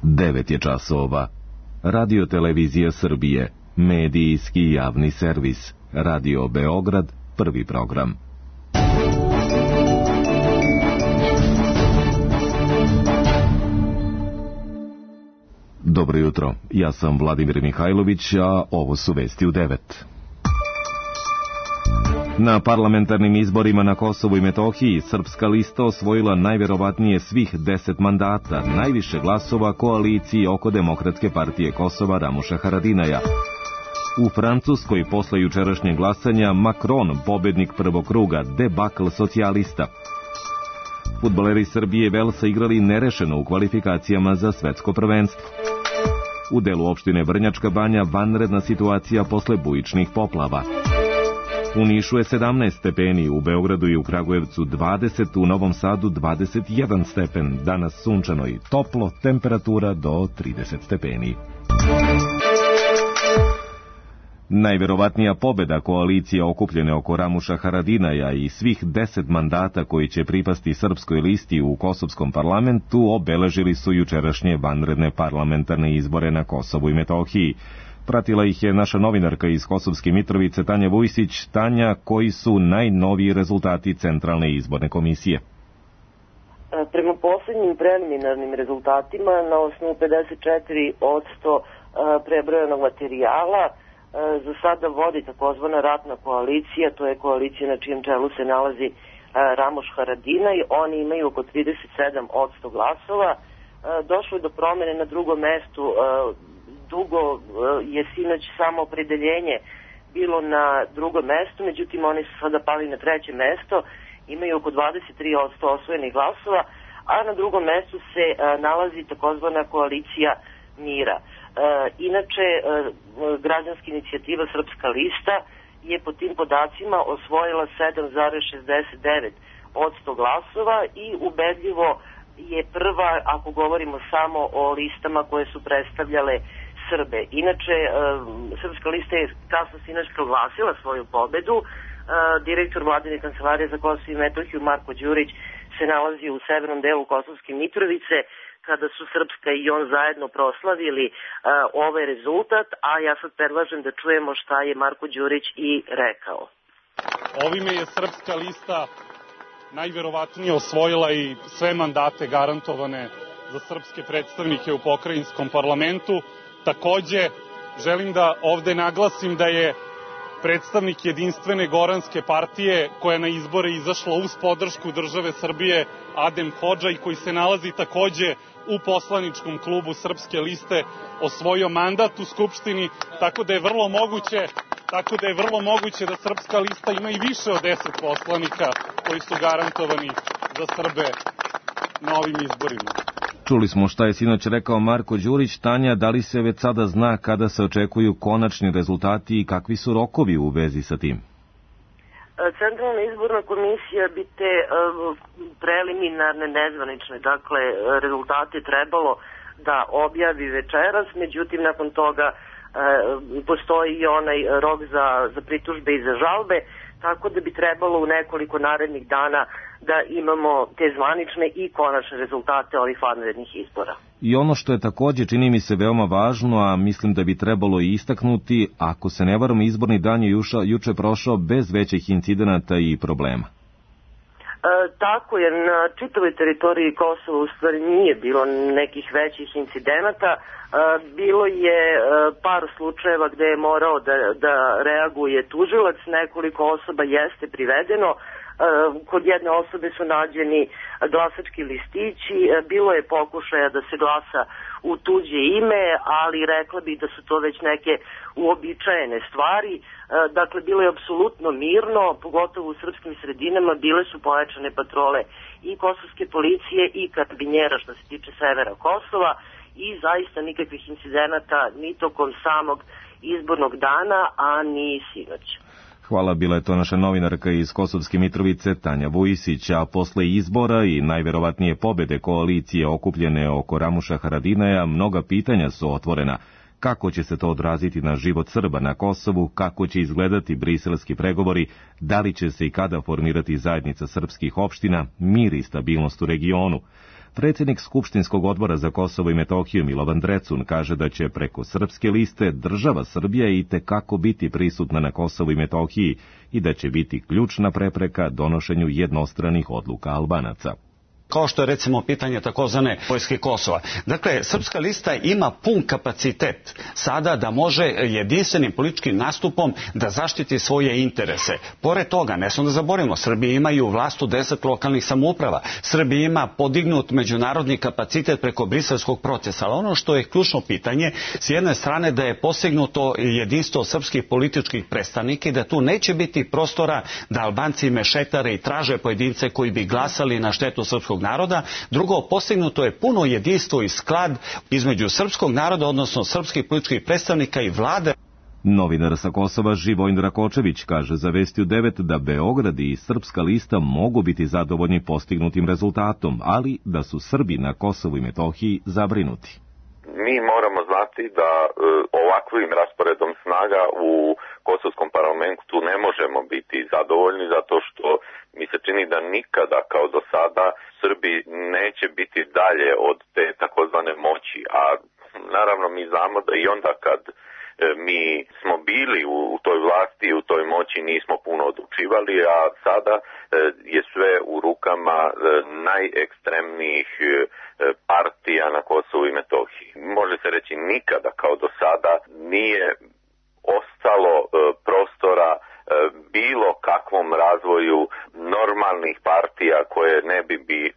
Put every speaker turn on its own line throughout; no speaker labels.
9 je časova. Radio Televizija Srbije, medijski javni servis. Radio Beograd, prvi program. Dobro jutro, ja sam Vladimir Mihajlović, a ovo su vesti u 9. Na parlamentarnim izborima na Kosovu i Metohiji Srpska lista osvojila najverovatnije svih 10 mandata, najviše glasova koaliciji oko Demokratske partije Kosova Ramuša Haradinaja. U Francuskoj posle jučerašnjeg glasanja Macron, pobednik prvog kruga, debakl socijalista. Fudbaleri Srbije i Velsa igrali nerešeno u kvalifikacijama za svetsko prvenstvo. U delu opštine Vrnjačka Banja vanredna situacija posle bujičnih poplava. U Nišu je 17 stepeni, u Beogradu i u Kragujevcu 20, u Novom Sadu 21 stepen, danas sunčano i toplo, temperatura do 30 stepeni. Najverovatnija pobeda koalicije okupljene oko Ramuša Haradinaja i svih 10 mandata koji će pripasti Srpskoj listi u Kosovskom parlamentu obeležili su jučerašnje vanredne parlamentarne izbore na Kosovu i Metohiji. Pratila ih je naša novinarka iz Kosovske Mitrovice Tanja Vujsić. Tanja, koji su najnoviji rezultati Centralne izborne komisije?
Prema poslednjim preliminarnim rezultatima, na osnovu 54% prebrojanog materijala, za sada vodi takozvana ratna koalicija, to je koalicija na čijem čelu se nalazi Ramuš Haradinaj. Oni imaju oko 37% glasova. Došlo je do promene na drugom mestu. Dugo je sinoć samo opredeljenje bilo na drugom mestu, međutim oni su sada pali na treće mesto, imaju oko 23% osvojenih glasova, a na drugom mestu se nalazi takozvana koalicija mira. Inače, građanska inicijativa Srpska lista je po tim podacima osvojila 7,69% glasova i ubedljivo je prva, ako govorimo samo o listama koje su predstavljale Srbe. Inače, Srpska lista je kasno sinoć proglasila svoju pobedu. Direktor Vladine kancelarije za Kosovo i Metohiju Marko Đurić se nalazi u severnom delu Kosovske Mitrovice kada su Srpska i on zajedno proslavili ovaj rezultat, a ja sad predlažem da čujemo šta je Marko Đurić i rekao.
Ovime je Srpska lista najverovatnije osvojila i sve mandate garantovane za srpske predstavnike u pokrajinskom parlamentu. Takođe, želim da ovde naglasim da je predstavnik Jedinstvene Goranske partije, koja je na izbore izašla uz podršku države Srbije, Adem Hodža, i koji se nalazi takođe u poslaničkom klubu Srpske liste, osvojio mandat u Skupštini, tako da je vrlo moguće da Srpska lista ima i više od 10 poslanika koji su garantovani za Srbe na ovim izborima.
Čuli smo šta je sinoć rekao Marko Đurić. Tanja, da li se već sada zna kada se očekuju konačni rezultati i kakvi su rokovi u vezi sa tim?
Centralna izborna komisija bi te preliminarne, nezvanične, dakle, rezultate trebalo da objavi večeras, međutim, nakon toga postoji i onaj rok za pritužbe i za žalbe, tako da bi trebalo u nekoliko narednih dana da imamo te zvanične i konačne rezultate ovih vanrednih izbora.
I ono što je takođe, čini mi se, veoma važno, a mislim da bi trebalo i istaknuti, ako se ne varam, izborni dan je juče prošao bez većih incidenata i problema.
Tako je, na čitavoj teritoriji Kosova u stvari nije bilo nekih većih incidenata. Bilo je par slučajeva gde je morao da reaguje tužilac, nekoliko osoba jeste privedeno. Kod jedne osobe su nađeni glasački listići, bilo je pokušaja da se glasa u tuđe ime, ali rekla bih da su to već neke uobičajene stvari. Dakle, bilo je apsolutno mirno, pogotovo u srpskim sredinama, bile su pojačane patrole i kosovske policije i karabinjera što se tiče severa Kosova i zaista nikakvih incidenata ni tokom samog izbornog dana, a ni sinoć.
Hvala, bila je to naša novinarka iz Kosovske Mitrovice Tanja Vujsić, a posle izbora i najverovatnije pobede koalicije okupljene oko Ramuša Haradinaja, mnoga pitanja su otvorena. Kako će se to odraziti na život Srba na Kosovu, kako će izgledati briselski pregovori, da li će se i kada formirati zajednica srpskih opština, mir i stabilnost u regionu. Predsjednik Skupštinskog odbora za Kosovo i Metohiju Milovan Drecun kaže da će preko srpske liste država Srbija i tekako biti prisutna na Kosovu i Metohiji i da će biti ključna prepreka donošenju jednostranih odluka Albanaca.
Kao što je recimo pitanje takozvane vojske Kosova. Dakle, Srpska lista ima pun kapacitet sada da može jedinstvenim političkim nastupom da zaštiti svoje interese. Pored toga, ne smo da zaboravimo, Srbija imaju vlast u 10 lokalnih samouprava. Srbija ima podignut međunarodni kapacitet preko briselskog procesa. Ali ono što je ključno pitanje, s jedne strane da je postignuto jedinstvo srpskih političkih predstavnika i da tu neće biti prostora da Albanci mešetare i traže pojedince koji bi glasali na štetu srpskog naroda. Drugo, postignuto je puno jedinstvo i sklad između srpskog naroda, odnosno srpskih političkih predstavnika i vlade.
Novinar sa Kosova Živojin Rakočević kaže za Vestiju 9 da Beograd i Srpska lista mogu biti zadovoljni postignutim rezultatom, ali da su Srbi na Kosovu i Metohiji zabrinuti.
Mi moramo znati da ovakvim rasporedom snaga u Kosovskom parlamentu ne možemo biti zadovoljni zato što mi se čini da nikada kao do sada Srbi neće biti dalje od te takozvane moći, a naravno mi znamo da i onda kad mi smo bili u toj vlasti i u toj moći nismo puno odlučivali, a sada je sve u rukama najekstremnijih partija na Kosovu i Metohiji. Može se reći nikada kao do sada nije ostalo prostora bilo kakvom razvoju normalnih partija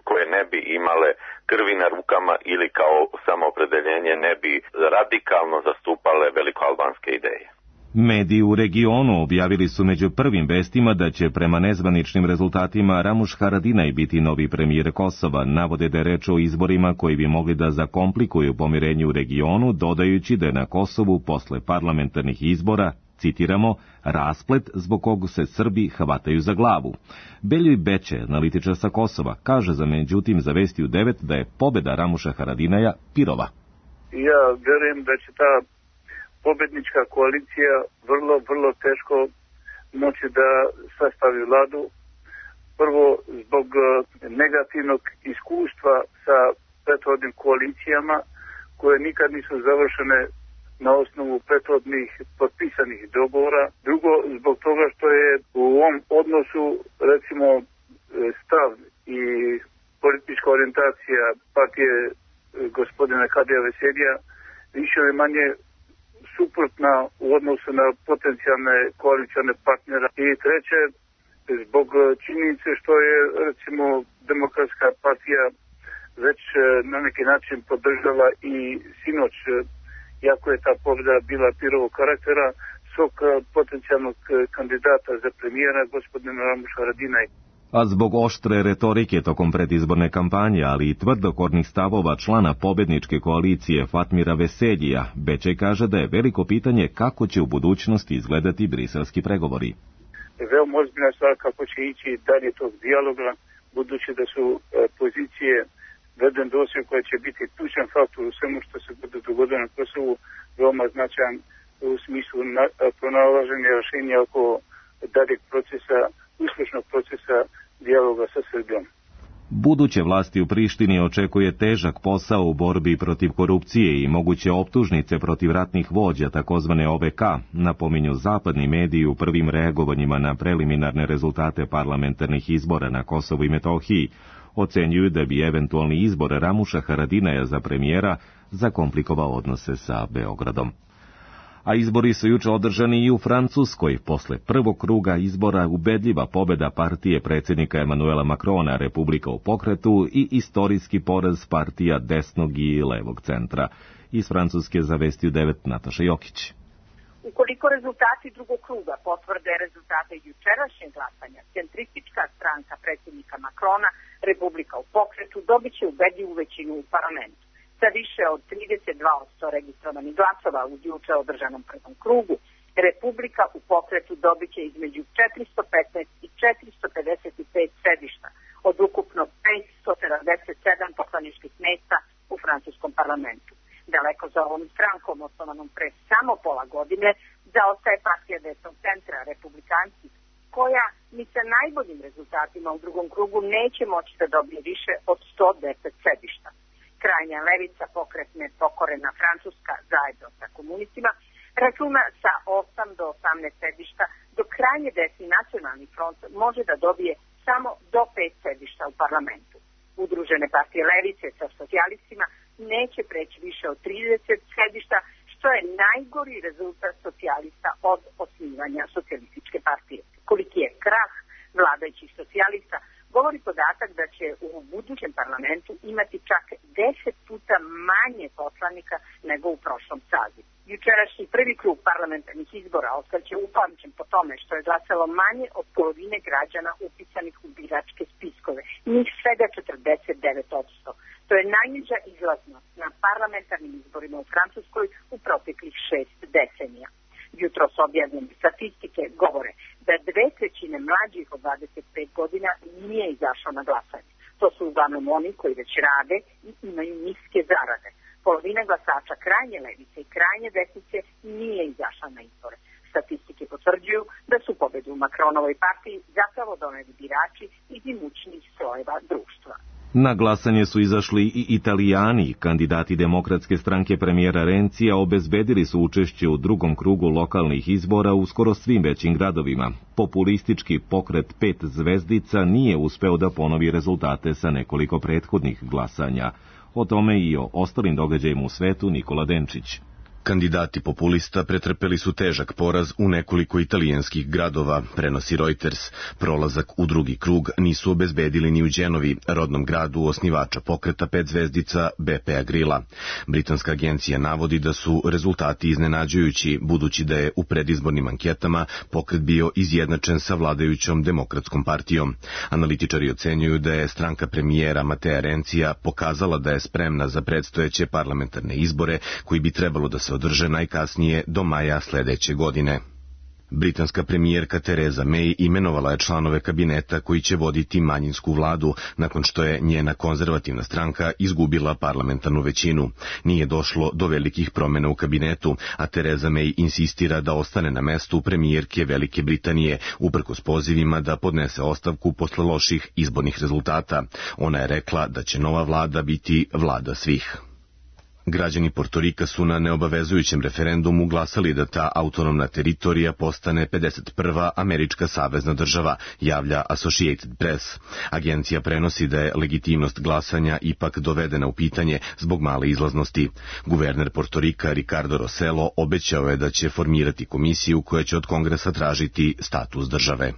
koje ne bi imale krvi na rukama ili kao samoopredeljenje ne bi radikalno zastupale velikoalbanske ideje.
Mediji u regionu objavili su među prvim vestima da će prema nezvaničnim rezultatima Ramuš Haradinaj biti novi premijer Kosova. Navode da je reč o izborima koji bi mogli da zakomplikuju pomirenje u regionu, dodajući da je na Kosovu posle parlamentarnih izbora, citiramo, rasplet zbog kog se Srbi hvataju za glavu. Beljoj Beće, analitičar sa Kosova, kaže za Vestiju 9 da je pobjeda Ramuša Haradinaja pirova.
Ja verujem da će ta pobednička koalicija vrlo teško moći da sastavi vladu. Prvo, zbog negativnog iskustva sa prethodnim koalicijama koje nikad nisu završene na osnovu prethodnih potpisanih dogovora. Drugo, zbog toga što je u ovom odnosu, recimo, stav i politička orijentacija partije gospodina Kadija Veselija više ili manje suprotna u odnosu na potencijalne koalicione partnera. I treće, zbog činjenice što je, recimo, Demokratska partija već na neki način podržala i sinoć, iako je ta pobjeda bila pirovog karaktera, svog potencijalnog kandidata za premijera, gospodina Ramuša Haradinaj.
A zbog oštre retorike tokom predizborne kampanje, ali i tvrdokornih stavova člana pobedničke koalicije Fatmira Veseljija, Bečej kaže da je veliko pitanje kako će u budućnosti izgledati briselski pregovori.
Veoma ozbiljna stvar kako će ići dalje tog dijaloga, budući da su pozicije veden doseg koja će biti ključan faktor u svemu što se bude dogodilo na Kosovu, veoma značajan u smislu pronalaženja rješenja oko daljeg procesa, uspješnog procesa dijaloga sa Srbijom.
Buduće vlasti u Prištini očekuje težak posao u borbi protiv korupcije i moguće optužnice protiv ratnih vođa, takozvane OVK, napominju zapadni mediji u prvim reagovanjima na preliminarne rezultate parlamentarnih izbora na Kosovu i Metohiji. Ocenjuju da bi eventualni izbor Ramuša Haradinaja za premijera zakomplikovao odnose sa Beogradom. A izbori su juče održani i u Francuskoj. Posle prvog kruga izbora ubedljiva pobjeda partije predsjednika Emanuela Macrona, Republika u pokretu, i istorijski poraz partija desnog i levog centra. Iz Francuske za Vestiju 9 Nataša Jokić.
Ukoliko rezultati drugog kruga potvrde rezultate jučerašnjeg glasanja, centristička stranka predsjednika Macrona, Republika u pokretu, dobit će ubedljivu većinu u parlamentu. Sa više od 32% registrovanih glasova u juče održanom prvom krugu, Republika u pokretu dobit će između 415 i 455 sedišta od ukupno 577 poslaničkih mjesta u francuskom parlamentu. Daleko za ovom strankom, osnovanom pre samo pola godine, zaostaje partija desnog centra, Republikanci, koja ni sa najboljim rezultatima u drugom krugu neće moći da dobije više od 110 sedišta. Krajnja levica, pokretne pokorena Francuska zajedno sa komunistima, računa sa 8 do 18 sedišta, dok krajnje desni Nacionalni front može da dobije samo do 5 sedišta u parlamentu. Udružene partije levice sa socijalistima neće preći više od 30 sedišta, što je najgori rezultat socijalista od osnivanja socijalističke partije. Koliki je krah vladajućih socijalista govori podatak da će u budućem parlamentu imati čak 10 puta manje poslanika nego u prošlom sazivu. Jučerašnji prvi krug parlamentarnih izbora ostaće upamćen po tome što je glasalo manje od polovine građana upisanih u biračke spiskove, njih svega 49%. To je najniža izlaznost na parlamentarnim izborima u Francuskoj u proteklih 6 decenija. Jutros objavljene statistike govore da 2/3 mlađih od 25 godina nije izašao na glasanje. To su uglavnom oni koji već rade i imaju niske zarade. Polovina glasača krajnje levice i krajnje desnice nije izašla na izbore. Statistike potvrđuju da su pobedu u Macronovoj partiji zapravo doneli birači iz imućnih slojeva društva.
Na glasanje su izašli i Italijani. Kandidati Demokratske stranke premijera Rencija obezbedili su učešće u drugom krugu lokalnih izbora u skoro svim većim gradovima. Populistički pokret 5 zvezdica nije uspeo da ponovi rezultate sa nekoliko prethodnih glasanja. O tome i o ostalim događajima u svetu Nikola Denčić.
Kandidati populista pretrpeli su težak poraz u nekoliko italijanskih gradova, prenosi Reuters. Prolazak u drugi krug nisu obezbedili ni u Genovi, rodnom gradu osnivača pokreta 5 zvezdica Beppea Grilla. Britanska agencija navodi da su rezultati iznenađujući, budući da je u predizbornim anketama pokret bio izjednačen sa vladajućom Demokratskom partijom. Analitičari ocenjuju da je stranka premijera Matea Rencija pokazala da je spremna za predstojeće parlamentarne izbore koji bi trebalo da se održe najkasnije do maja sledeće godine. Britanska premijerka Theresa May imenovala je članove kabineta koji će voditi manjinsku vladu nakon što je njena konzervativna stranka izgubila parlamentarnu većinu. Nije došlo do velikih promjena u kabinetu, a Theresa May insistira da ostane na mestu premijerke Velike Britanije, uprkos pozivima da podnese ostavku posle loših izbornih rezultata. Ona je rekla da će nova vlada biti vlada svih. Građani Portorika su na neobavezujućem referendumu glasali da ta autonomna teritorija postane 51. američka savezna država, javlja Associated Press. Agencija prenosi da je legitimnost glasanja ipak dovedena u pitanje zbog male izlaznosti. Guverner Portorika Ricardo Rossello obećao je da će formirati komisiju koja će od Kongresa tražiti status države.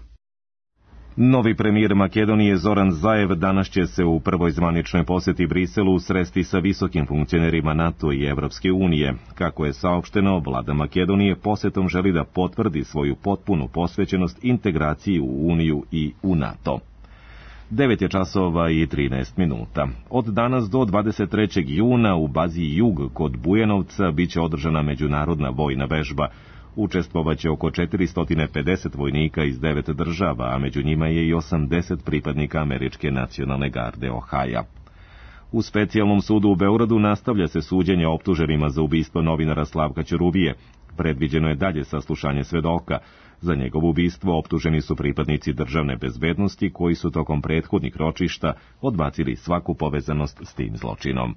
Novi premijer Makedonije Zoran Zaev danas će se u prvoj zvaničnoj poseti Briselu sresti sa visokim funkcionerima NATO i Evropske unije. Kako je saopšteno, vlada Makedonije posetom želi da potvrdi svoju potpunu posvećenost integraciji u Uniju i u NATO. 9 je časova i 13 minuta. Od danas do 23. juna u bazi Jug kod Bujanovca biće održana međunarodna vojna vežba. Učestvovaće oko 450 vojnika iz 9 država, a među njima je i 80 pripadnika Američke nacionalne garde Ohaja. U specijalnom sudu u Beogradu nastavlja se suđenje optuženima za ubistvo novinara Slavka Ćuruvije. Predviđeno je dalje saslušanje svedoka. Za njegovo ubistvo optuženi su pripadnici državne bezbednosti koji su tokom prethodnih ročišta odbacili svaku povezanost s tim zločinom.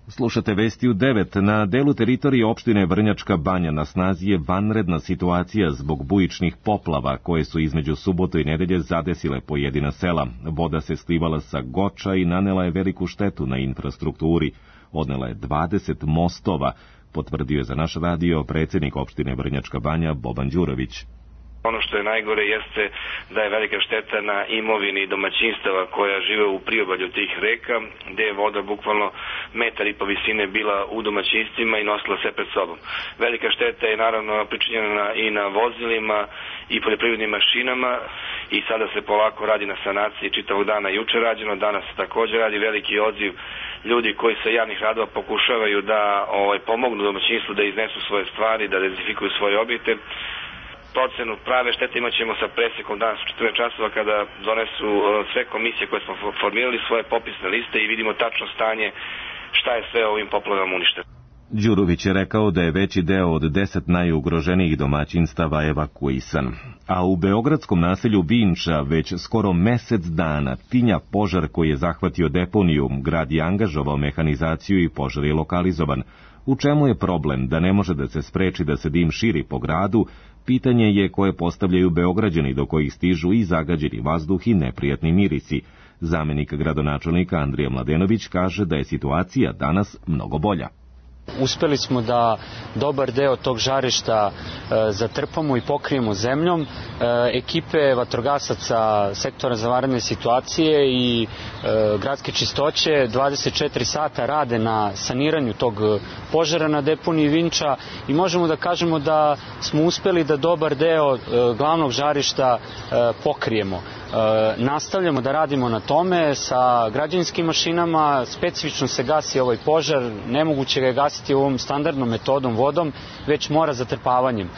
Slušate vesti u 9. Na delu teritorije opštine Vrnjačka Banja na snazi je vanredna situacija zbog bujičnih poplava koje su između subote i nedelje zadesile pojedina sela. Voda se slivala sa Goča i nanela je veliku štetu na infrastrukturi. Odnela je 20 mostova, potvrdio je za naš radio predsjednik opštine Vrnjačka Banja Boban Đurović.
Ono što je najgore jeste da je velika šteta na imovini domaćinstava koja žive u priobalju tih reka, gde je voda bukvalno 1,5 metra visine bila u domaćinstvima i nosila sve pred sobom. Velika šteta je naravno pričinjena i na vozilima i poljoprivrednim mašinama i sada se polako radi na sanaciji, čitavog dana juče rađeno, danas se također radi veliki odziv ljudi koji sa javnih radova pokušavaju da pomognu domaćinstvu da iznesu svoje stvari, da dezifikuju svoje objekte. Procenu prave štete imat ćemo sa presekom danas u 14 časova kada donesu sve komisije koje smo formirali svoje popisne liste i vidimo tačno stanje šta je sve ovim poplavama uništeno.
Đurović je rekao da je veći deo od 10 najugroženijih domaćinstava evakuisan. A u beogradskom naselju Vinča već skoro mesec dana tinja požar koji je zahvatio deponiju, grad je angažovao mehanizaciju i požar je lokalizovan. U čemu je problem da ne može da se spreči da se dim širi po gradu, pitanje je koje postavljaju Beograđani do kojih stižu i zagađeni vazduh i neprijatni mirisi. Zamenik gradonačelnika Andrija Mladenović kaže da je situacija danas mnogo bolja.
Uspeli smo da dobar deo tog žarišta zatrpamo i pokrijemo zemljom. Ekipe vatrogasaca sektora za vanredne situacije i gradske čistoće 24 sata rade na saniranju tog požara na deponiji Vinča i možemo da kažemo da smo uspeli da dobar deo glavnog žarišta pokrijemo. Nastavljamo da radimo na tome sa građevinskim mašinama, specifično se gasi ovaj požar, nemoguće ga je gasiti ovom standardnom metodom vodom, već mora zatrpavanjem.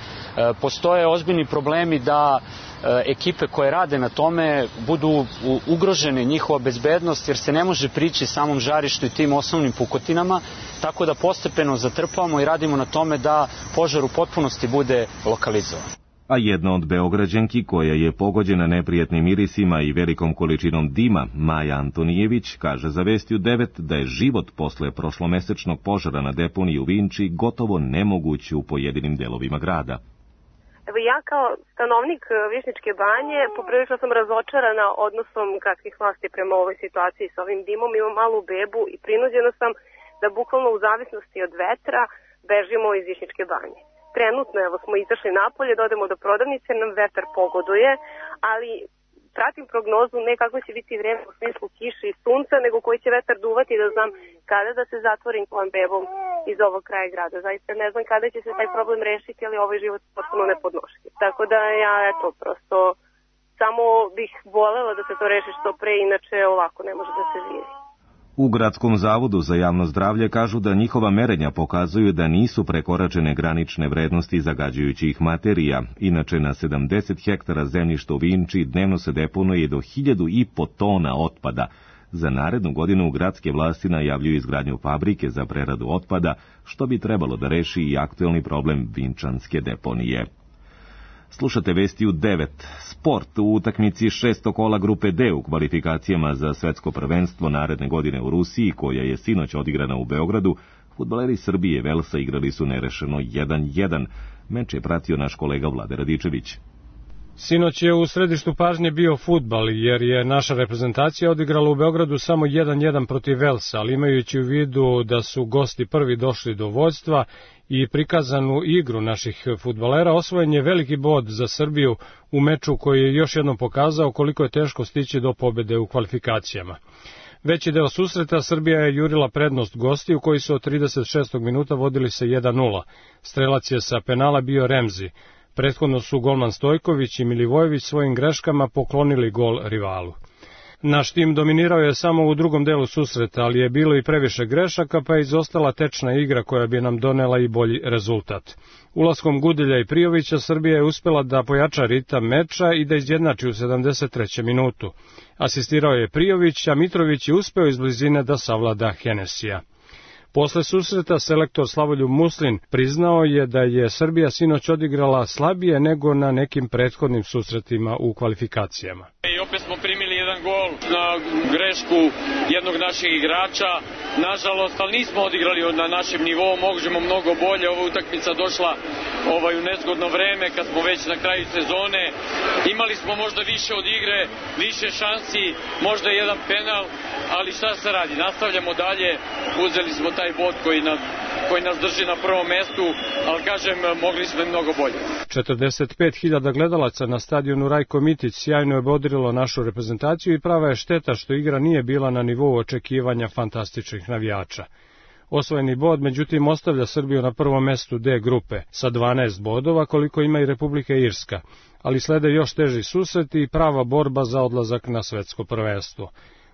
Postoje ozbiljni problemi da ekipe koje rade na tome budu ugrožene njihova bezbednost, jer se ne može prići samom žarištu i tim osnovnim pukotinama, tako da postepeno zatrpavamo i radimo na tome da požar u potpunosti bude lokalizovan.
A jedna od Beograđanki koja je pogođena neprijatnim mirisima i velikom količinom dima, Maja Antonijević, kaže za Vesti u 9 da je život posle prošlomesečnog požara na deponiji u Vinči gotovo nemoguć u pojedinim delovima grada.
Evo ja kao stanovnik Višnjičke banje poprilično sam razočarana odnosom gradskih vlasti prema ovoj situaciji s ovim dimom. Imam malu bebu i prinuđena sam da bukvalno u zavisnosti od vetra bežimo iz Višnjičke banje. Trenutno evo smo izašli napolje, da odemo do prodavnice, nam vetar pogoduje, ali pratim prognozu ne kako će biti vreme u smislu kiše i sunca, nego koji će vetar duvati da znam kada da se zatvorim svojom bebom iz ovog kraja grada. Zaista ne znam kada će se taj problem rešiti, ali ovaj život je potpuno nepodnošljiv. Tako da ja prosto samo bih volela da se to reši što pre, inače ovako ne može da se živi.
U Gradskom zavodu za javno zdravlje kažu da njihova merenja pokazuju da nisu prekoračene granične vrednosti zagađujućih materija. Inače, na 70 hektara zemljišta u Vinči dnevno se deponuje do 1.500 tona otpada. Za narednu godinu gradske vlasti najavljuju izgradnju fabrike za preradu otpada, što bi trebalo da reši i aktuelni problem vinčanske deponije. Slušate Vesti u 9. Sport u utakmici 6. kola grupe D u kvalifikacijama za svetsko prvenstvo naredne godine u Rusiji, koja je sinoć odigrana u Beogradu, fudbaleri Srbije i Velsa igrali su nerešeno 1:1. Meč je pratio naš kolega Vlade Radičević.
Sinoć je u središtu pažnje bio fudbal, jer je naša reprezentacija odigrala u Beogradu samo 1:1 protiv Velsa, ali imajući u vidu da su gosti prvi došli do vođstva i prikazanu igru naših fudbalera, osvojen je veliki bod za Srbiju u meču koji je još jednom pokazao koliko je teško stići do pobede u kvalifikacijama. Veći deo susreta Srbija je jurila prednost gostiju koji su od 36. minuta vodili se 1:0. Strelac je sa penala bio Remzi. Prethodno su golman Stojković i Milivojević svojim greškama poklonili gol rivalu. Naš tim dominirao je samo u drugom delu susreta, ali je bilo i previše grešaka, pa je izostala tečna igra koja bi nam donela i bolji rezultat. Ulaskom Gudelja i Prijovića Srbija je uspela da pojača ritam meča i da izjednači u 73. minutu. Asistirao je Prijović, a Mitrović je uspeo iz blizine da savlada Henesija. Posle susreta selektor Slavoljub Muslin priznao je da je Srbija sinoć odigrala slabije nego na nekim prethodnim susretima u kvalifikacijama.
I opet smo primili jedan gol na grešku jednog naših igrača. Nažalost, ali nismo odigrali na našem nivou, možemo mnogo bolje. Ova utakmica došla u nezgodno vreme kad smo već na kraju sezone. Imali smo možda više od igre, više šansi, možda jedan penal, ali šta se radi? Nastavljamo dalje, uzeli smo taj bod koji nas drži na prvom mestu, ali kažem, mogli smo i mnogo bolje.
45.000 gledalaca na stadionu Rajko Mitić sjajno je bodrilo našu reprezentaciju i prava je šteta što igra nije bila na nivou očekivanja fantastičnih navijača. Osvojeni bod, međutim, ostavlja Srbiju na prvom mestu D grupe sa 12 bodova, koliko ima i Republika Irska, ali slede još teži susreti i prava borba za odlazak na svetsko prvenstvo.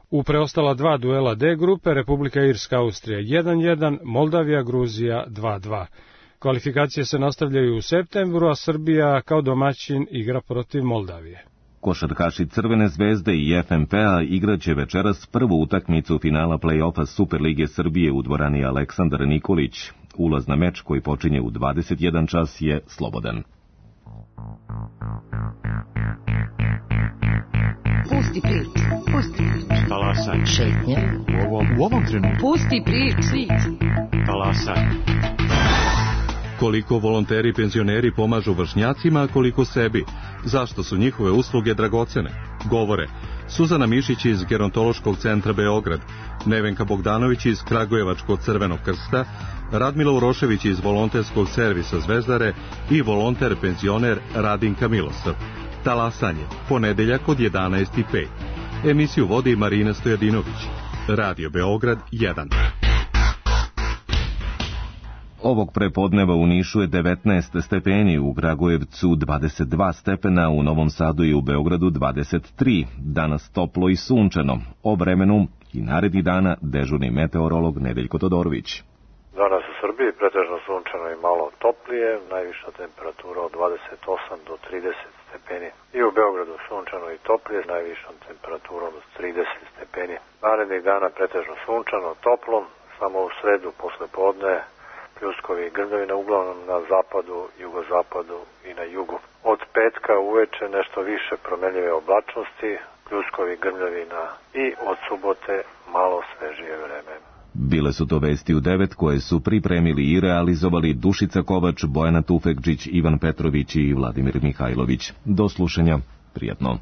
U preostala dva duela D grupe, Republika Irska, Austrija 1:1, Moldavija, Gruzija 2:2. Kvalifikacije se nastavljaju u septembru, a Srbija kao domaćin igra protiv Moldavije.
Košarkaši Crvene zvezde i FNP-a igraće večeras prvu utakmicu finala play-offa Superlige Srbije u dvorani Aleksandar Nikolić. Ulaz na meč koji počinje u 21 čas je slobodan.
Pusti priču, pusti priču.
Talasaj.
Šetnje.
U ovom trenutku.
Pusti priču.
Talasaj. Koliko volonteri i penzioneri pomažu vršnjacima, a koliko sebi. Zašto su njihove usluge dragocene? Govore Suzana Mišić iz Gerontološkog centra Beograd, Nevenka Bogdanović iz Kragujevačkog Crvenog krsta, Radmila Urošević iz volonterskog servisa Zvezdare i volonter penzioner Radinka Milosav. Talasanje, ponedeljak od 11:05. Emisiju vodi Marina Stojadinović. Radio Beograd 1.
Ovog prepodneva u Nišu je 19 stepeni, u Kragujevcu 22 stepena, u Novom Sadu i u Beogradu 23. Danas toplo i sunčano. O vremenu i narednih dana dežurni meteorolog Nedeljko Todorović.
Danas u Srbiji pretežno sunčano i malo toplije, najviša temperatura od 28 do 30 stepeni. I u Beogradu sunčano i toplije, najvišom temperaturom od 30 stepeni. Narednih dana pretežno sunčano, toplo, samo u sredu posle podne pljuskovi i grmljavine uglavnom na zapadu, jugozapadu i na jugu. Od petka uveče nešto više promenljive oblačnosti, pljuskovi i grmljavina i od subote malo svežije vreme.
Bile su to vesti u 9 koje su pripremili i realizovali Dušica Kovač, Bojana Tufekđić, Ivan Petrović i Vladimir Mihajlović. Do slušanja, prijatno.